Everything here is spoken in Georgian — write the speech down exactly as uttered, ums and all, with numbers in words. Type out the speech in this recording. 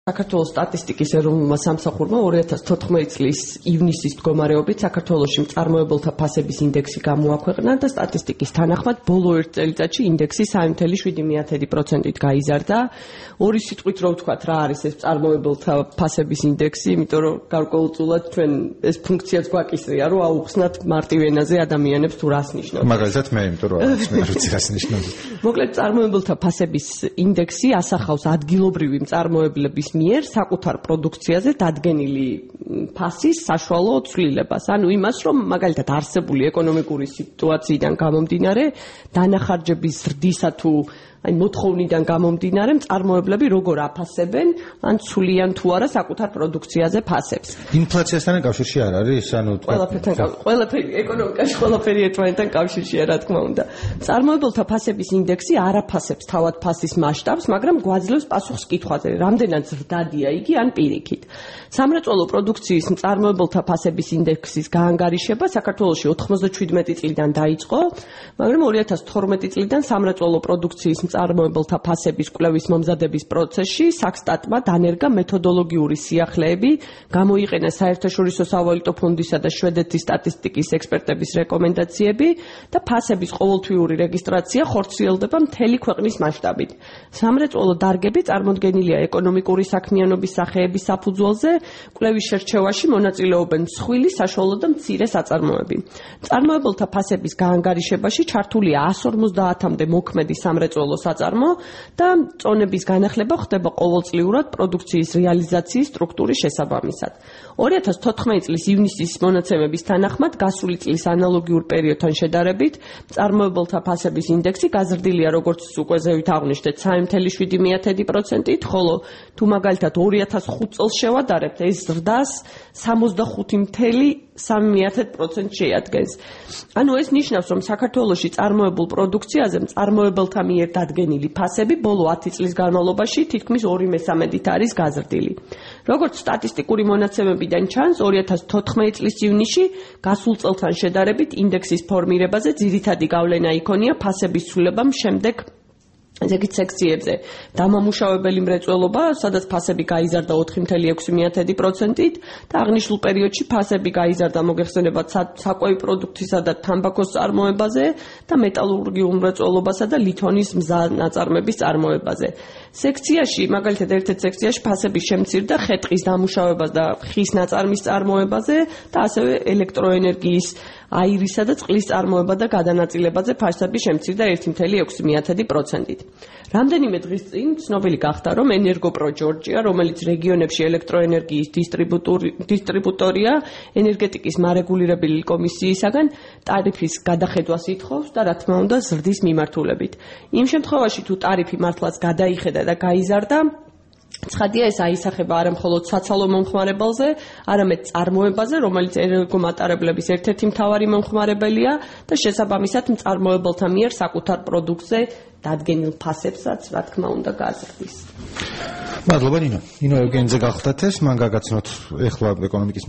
საქართველოს სტატისტიკის ეროვნულმა სამსახურმა ორი ათას თოთხმეტი წლის ივნისის მდგომარეობით საქართველოში მწარმოებელთა ფასების ინდექსი გამოაქვეყნა და სტატისტიკის თანახმად ბოლო ერთ წელიწადში ინდექსი სამი ათეული შვიდი პროცენტით გაიზარდა. ორი სიტყვით რო ვთქვათ, რა არის ეს მწარმოებელთა ფასების ინდექსი, იმიტომ რომ გარკვეულწილად ჩვენ ეს ფუნქციაც გვაკისრია, რომ აუხსნათ მარტივ ენაზე ადამიანებს თუ რას ნიშნავს. მაგალითად მე, იმიტომ რომ არის მე როცა რას ნიშნავს. მოკლედ მწარმოებელთა ფასების ინდექსი ასახავს ადგილობრივი მწარმოებლების მიერ საკუთარ პროდუქციაზე დადგენილი ფასის საშუალო ცვლილებას. ანუ იმას, რომ მაგალითად არსებული ეკონომიკური სიტუაციიდან გამომდინარე, დანახარჯების ზრდისა თუ აი მოთხოვნიდან გამომდინარე, მწარმოებლები როგორ აფასებენ, ან ცვლიან თუ არა საკუთარ პროდუქციაზე ფასებს. ინფლაციასთან კავშირში არ არის, ანუ ყველაფერთან ყველაფერი ეკონომიკაში ყველაფერი ერთმანეთთან კავშირშია, რა თქმა უნდა. მწარმოებელთა ფასების ინდექსი არ აფასებს თავად ფასის მასშტაბს, მაგრამ გვაძლევს პასუხს კითხვაზე, რამდენად ზრდადია იგი ან პირიქით. სამრეწველო პროდუქციის მწარმოებელთა ფასების ინდექსის გაანგარიშება საქართველოში ოთხმოცდაშვიდმეტი წლიდან დაიწყო, მაგრამ ორი ათას თორმეტი წლიდან სამრეწველო პროდუქციის მწარმოებელთა ფასების კვლევის მომზადების პროცესში საქსტატმა დანერგა მეთოდოლოგიური სიახლეები, გამოიყენა საერთაშორისო სავალუტო ფონდისა და შვედეთის სტატისტიკის ექსპერტების რეკომენდაციები და ფასების ყოველთვიური რეგისტრაცია ხორციელდება მთელი ქვეყნის მასშტაბით. სამრეწველო დარგები წარმოდგენილია ეკონომიკური საქმიანობის სახეების საფუძველზე, კვლევის შერჩევაში მონაწილეობენ მსხვილი, საშუალო და მცირე საწარმოები. მწარმოებელთა ფასების გაანგარიშებაში ჩართულია εκατს ორმოცდაათამდე მოქმედი სამრეწველო საწარმო და წონების განახლება ხდება ყოველწლიურად პროდუქციის რეალიზაციის სტრუქტურის შესაბამისად. ორი ათას თოთხმეტი წლის ივნისის მონაცემების თანახმად გასული წლის ანალოგიურ პერიოდთან შედარებით მწარმოებელთა ფასების ინდექსი გაზრდილია როგორც უკვე ზევით აღვნიშნეთ სამი ათეული შვიდი პროცენტით, ხოლო თუ მაგალითად ორი ათას ხუთი წელს შევადარებთ, ეს ზრდას სამოცდახუთი ათეული სამი პროცენტს შეადგენს. ანუ ეს ნიშნავს, რომ საქართველოში წარმოებულ პროდუქციაზე მწარმოებელთა მიერ დადგენილი ფასები ბოლო ათი წლის განმავლობაში თითქმის ორი მესამედით არის გაზრდილი. როგორც სტატისტიკური მონაცემებიდან ჩანს, ორი ათას თოთხმეტი წლის ივნისში გასულ წელთან შედარებით ინდექსის ფორმირებაზე ძირითადი გავლენა იქონია ფასების ცვლილებამ შემდეგ ზეგით სექციებზე. დამამუშავებელი მრეწველობა, სადაც ფასები გაიზარდა ოთხი ათეული ექვსი პროცენტით და აღნიშნულ პერიოდში ფასები გაიზარდა მოგეხსენებათ საკვები პროდუქტისა და თამბაქოს წარმოებაზე და მეტალურგიულ მრეწველობასა და ლითონის მზა ნაწარმების წარმოებაზე. სექციაში, მაგალითად ერთ-ერთ სექციაში ფასები შემცირდა ხე-ტყის დამუშავებას და ხის ნაწარმის წარმოებაზე და ასევე ელექტროენერგიის აირისა და წყლის წარმოება და გადანაწილებაზე ფასები შემცირდა ერთი ათეული ექვსი პროცენტით. რამდენიმე დღის წინ ცნობილი გახდა, რომ ენერგოპრო ჯორჯია, რომელიც რეგიონებში ელექტროენერგიის დისტრიბუტორია, ენერგეტიკის მარეგულირებელი კომისიისაგან ტარიფის გადახედვას ითხოვს და რა თქმა უნდა ზრდის მიმართულებით. იმ შემთხვევაში თუ ტარიფი მართლაც გადაიხედა და გაიზარდა, ცხადია ეს აისახება არა მხოლოდ საცალო მომხმარებელზე, არამედ წარმოებაზე, რომელიც ენერგომატარებლების ერთ-ერთი მთავარი მომხმარებელია და შესაბამისად მწარმოებელთა მიერ საკუთარ პროდუქტზე დადგენილ ფასებსაც, რა თქმა უნდა, გაზრდის. მადლობა ნინო. ნინო ევგენიძე გახლდათ ეს, მან გაგაცნოთ ეხლა ეკონომიკის